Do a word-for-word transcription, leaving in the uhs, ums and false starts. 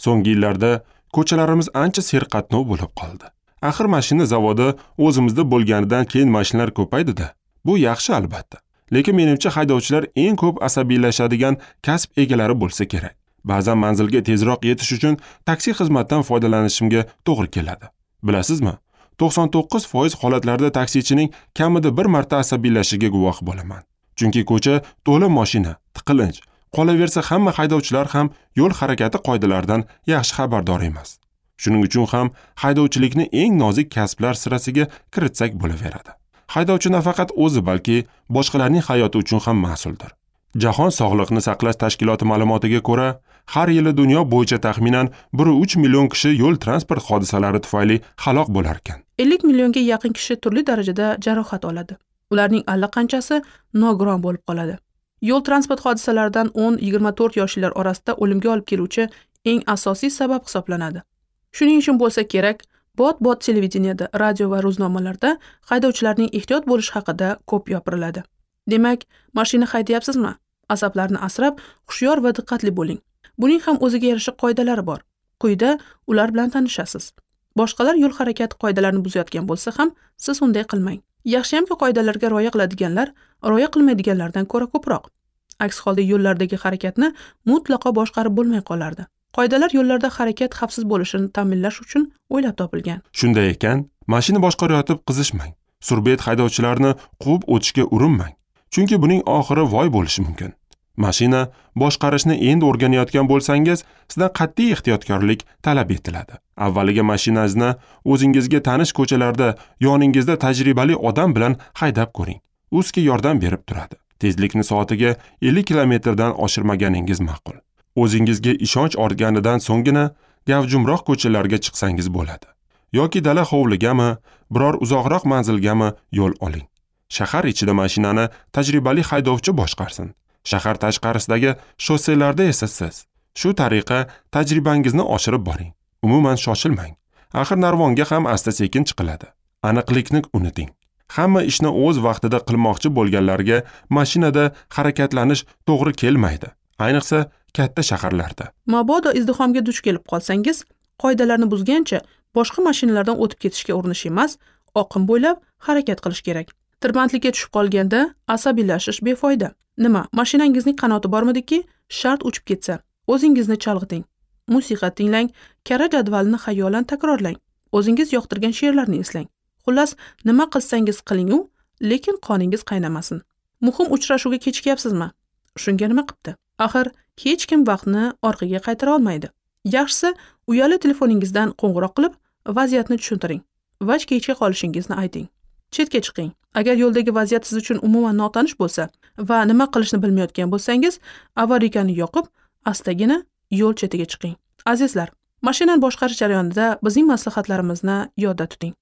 So'nggi yillarda ko'chalarimiz ancha serqatnov bo'lib qoldi. Axir mashina zavodi o'zimizda bo'lganidan keyin mashinalar ko'paydi-da. Bu yaxshi albatta. Lekin menimcha haydovchilar eng ko'p asabiylashadigan kasb egalari bo'lsa kerak. Ba'zan manzilga tezroq yetish uchun taksi xizmatidan foydalanishimga to'g'ri keladi. Bilasizmi? to'qson to'qqiz foiz holatlarda taksichining kamida bir marta asabiylashishiga guvoh bo'laman. Chunki ko'cha to'la mashina, tiqilinch. Qolaversa hamma haydovchilar ham yo'l harakati qoidalaridan yaxshi xabardor emas. Shuning uchun ham haydovchilikni eng nozik kasblar sirasiga kiritsak bo'laveradi. Haydovchi nafaqat o'zi, balki boshqalarning hayoti uchun ham mas'uldir. Jahon sog'liqni saqlash tashkiloti ma'lumotiga ko'ra, har yili dunyo bo'yicha taxminan bir uch million kishi yo'l transport hodisalari tufayli halok bo'lar ekan. ellik millionga yaqin kishi turli darajada jarohat oladi. Ularning allaqanchasi nogiron bo'lib qoladi. Yo'l transport hodisalaridan o'n yigirma to'rt yoshlilar orasida o'limga olib keluvchi eng asosiy sabab hisoblanadi. Shuning uchun bo'lsa kerak, bot-bot televideniyada, radio va ro'znomalarda haydovchilarning ehtiyot bo'lishi haqida ko'p gapiriladi. Demak, mashina haydayapsizmi? Asablarni asrab, hushyor va diqqatli bo'ling. Buning ham o'ziga yarasha qoidalari bor. Quyida ular bilan tanishasiz. Boshqalar yo'l harakati qoidalarini buzayotgan bo'lsa ham, siz unday qilmang. Yaxshiyamki qoidalarga rioya qiladiganlar rioya qilmaydiganlardan ko'ra ko'proq. Aks holda yo'llardagi harakatni mutlaqo boshqarib bo'lmay qolardi. Qoidalar yo'llarda harakat xavfsiz bo'lishini ta'minlash uchun o'ylab topilgan. Shunday ekan, mashina boshqarayotib qizishmang. Surbet haydovchilarni quvib o'tishga urinmang. Chunki buning oxiri voy bo'lishi mumkin. Mashina boshqarishni endi o'rganayotgan bo'lsangiz, sizdan qat'iy ehtiyotkorlik talab etiladi. Avvaliga mashinangizni o'zingizga tanish ko'chalarda yoningizda tajribali odam bilan haydab ko'ring. U sizga yordam berib turadi. Tezlikni soatiga ellik kilometrdan oshirmaganingiz ma'qul. O'zingizga ishonch ortganidan so'nggina gavjumroq ko'chalarga chiqsangiz bo'ladi. Yoki dala hovligami, biror uzoqroq manzilgami yo'l oling. Shahar ichida mashinani tajribali haydovchi boshqarsin. Shahar tashqarisidagi shosselarda esa siz. Shu tariqa tajribangizni oshirib boring. Umuman shoshilmang. Axir narvonga ham asta-sekin chiqiladi. Aniqlikni unuting. Hamma ishni o'z vaqtida qilmoqchi bo'lganlarga mashinada harakatlanish to'g'ri kelmaydi. Ayniqsa katta shaharlarda. Mabodo izdihomga duch kelib qolsangiz, qoidalarni buzgancha boshqa mashinalardan o'tib ketishga urinish emas, oqim bo'ylab harakat qilish kerak. Tirbandlikka tushib qolganda asabiylashish befoyda. Nima, mashinangizning qanoti bormidiki, shart uchib ketsa, o'zingizni chalg'iting. Musiqa tinglang, kara jadvalni xayolan takrorlang. O'zingiz yoqtirgan she'rlarni eslang. Xullas, nima qilsangiz qiling-u, lekin qoningiz qaynamasin. Muhim uchrashuvga kechikyapsizmi? Shunga nima qipti? Axir hech kim vaqtni orqaga qaytara olmaydi. Yaxshisi, uyali telefoningizdan qo'ng'iroq qilib, vaziyatni tushuntiring va kechga qolishingizni ayting. Chetga chiqing. Agar yo'ldagi vaziyat siz uchun umuman notanish bo'lsa va nima qilishni bilmayotgan bo'lsangiz, avarikani yoqib, astagina yo'l chetiga chiqing. Azizlar, mashinani boshqarish jarayonida bizning maslahatlarimizni yodda tuting.